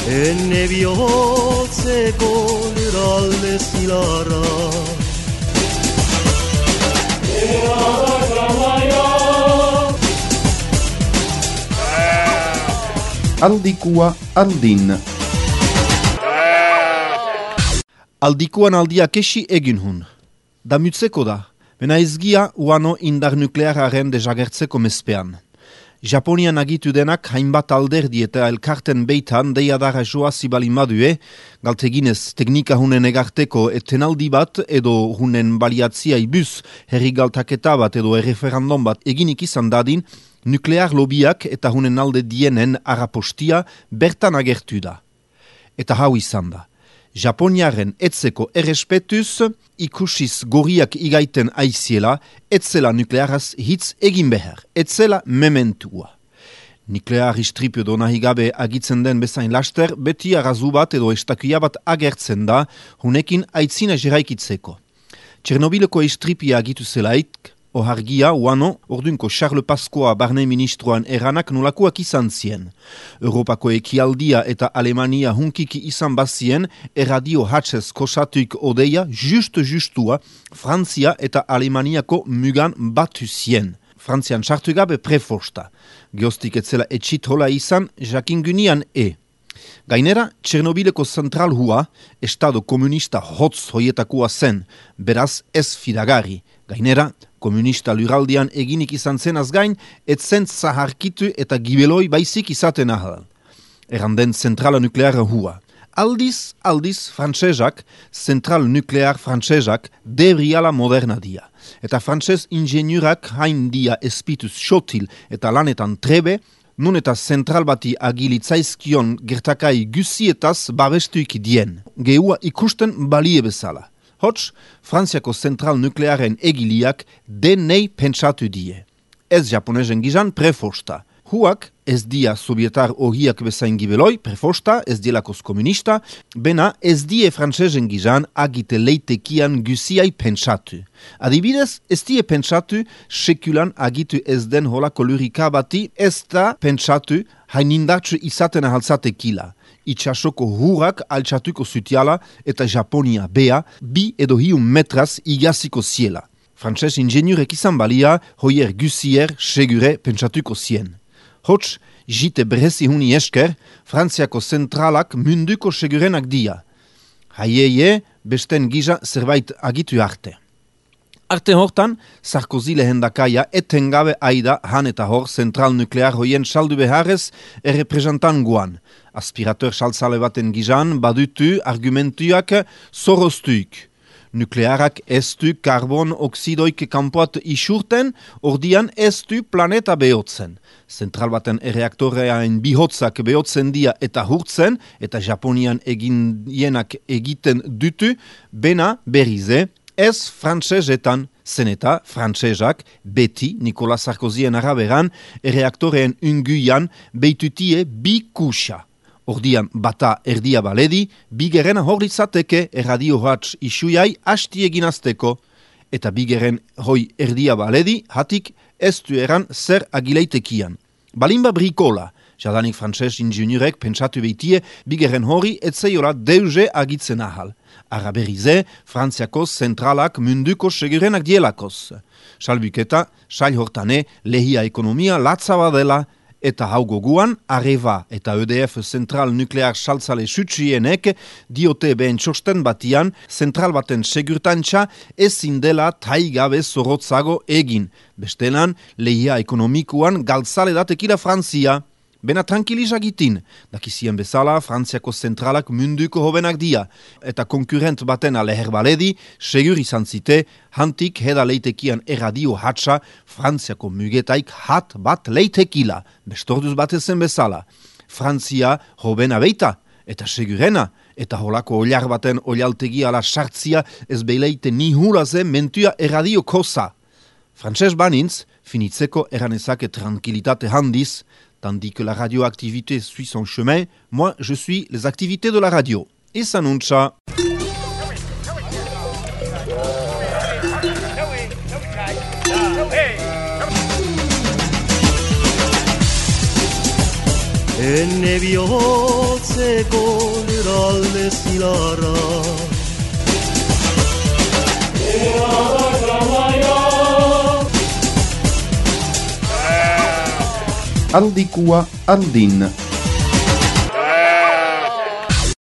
Enne bihotzeko lurralde zilarra Aldikua aldin. Aldikuan aldia kesi egin hun. Damutzeko da, bena ezgia uano indar nukleararen desagertzeko mezpean. Japonian agitu denak hainbat alderdi eta elkarten beitan deiadara joa zibalin badue, galteginez teknika hunen egarteko etenaldi bat edo hunen baliatzia ibuz herri galtaketa bat edo erreferandum bat eginik izan dadin, nuklear lobiak eta hunen alde dienen arapostia bertan agertu da. Eta hau izan da. Japoniaren etzeko errespetuz, ikusiz goriak igaiten aiziela, etzela nuklearaz hitz egin behar, etzela mementua. Nuklear istripu edo nahi gabe agitzen den bezain laster, beti arrazu bat edo estakia bat agertzen da, hunekin aitzina jeraikitzeko. Txernobileko istripia agitu zelaik, ohargia, uano, ordunko Charles Pasqua barne ministroan eranak nolakoak izan zien. Europako ekialdia eta Alemania hunkiki izan bazien, erradio hatzez kosatuik odeia, justua, Frantzia eta Alemaniako mugan batu zien. Frantzian sartu gabe prefosta. Geostik etzela etxitola izan, jakin gunian Gainera, Txernobileko zentral hua, estado komunista hotz hoietakoa zen, beraz ez fidagarri. Gainera, komunista lurraldian eginik izan zenaz gain, etzen zaharkitu eta gibeloi baizik izaten ahal. Erranden zentrala nukleara hua. Aldiz, frantsezak, zentral nuklear frantsezak, debriala moderna dia. Eta frantsez ingeniurak hain dia espituz xotil eta lanetan trebe, nun eta zentral bati agilitzaizkion gertakai guzietaz babestuik dien. Geua ikusten balie bezala. Hots, Frantziako zentral nuklearen egiliak denei pentsatu die. Ez japonezen gizan prefosta. Huak ez dia sovietar ohiak bezain gibeloi, prefosta, ez dielakoz komunista, bena ez die frantsezen gizan agite leitekian guziai pentsatu. Adibidez, ez die pentsatu sekulan agitu ez den holako lurika bati ez da pentsatu hainindatsu izaten ahaltzatekila. Itxasoko hurak altxatuko zutiala eta Japonia bea 2 edo 3 metraz igaziko ziela. Frantses ingeniurek izan balia, hoier guzier segure pentsatuko zien. Hots, jite berezi huni esker, Frantziako zentralak munduko segurenak dia. Haieie, besten giza zerbait agitu arte. Arte hortan, Sarkozy lehendakaia etengabe aida han eta hor zentral nuklear hoien saldu beharrez errepresentangoan. Aspirateur saltzale baten gizan badutu argumentuak zoroztuik. Nuklearak ez du karbon oksidoik kanpoat isurten, ordian ez du planeta behotzen. Zentral baten erreaktoreaen bihotzak behotzen dia eta hurtzen, eta Japonian egienak egiten dutu, bena berrize, ez frantsezetan, zen eta frantsezak beti Nicolas Sarkozyen araberan erreaktoreen unguian beitutie bi kuxa. Ordian bata erdia baledi, bigeren horritzateke erradio hatz isuiai hasti eginazteko, eta bigeren hoi erdia baledi hatik ez du eran zer agileitekian. Balimba brikola, jadanik frantses ingeniurek pentsatu beitie bigeren hori etzeiola deuze agitzen ahal. Araberize, Frantziako zentralak munduko segurenak dielakoz. Salbuketa, sail hortane, lehia ekonomia latzaba dela, eta hau goguan, Areva eta EDF zentral nuklear saltzale sutsienek diote behen txosten batian, zentral baten segurtantza ezin dela taigabe zorotzago egin. Bestelan, lehia ekonomikuan galtzale datekila Frantzia. Bena tranquilizagitin, dakizien bezala Frantziako zentralak munduko hobenak dia, eta konkurrent baten leher baledi, segur izan zite, hantik heda leitekian erradio hatsa Frantziako mugetaik hat bat leitekila, bestorduz batezen bezala. Frantzia hobena beita, eta segurena, eta holako oliar baten olialtegi ala sartzia ez beileite ni hulaze mentua erradio kosa. Frantses banintz, finitzeko eranezake tranquilitate handiz, tandis que la radioactivité suit son chemin, moi je suis les activités de la radio. Et s'annonce. Enne bihotzeko eralde zilarra Aldikua andin.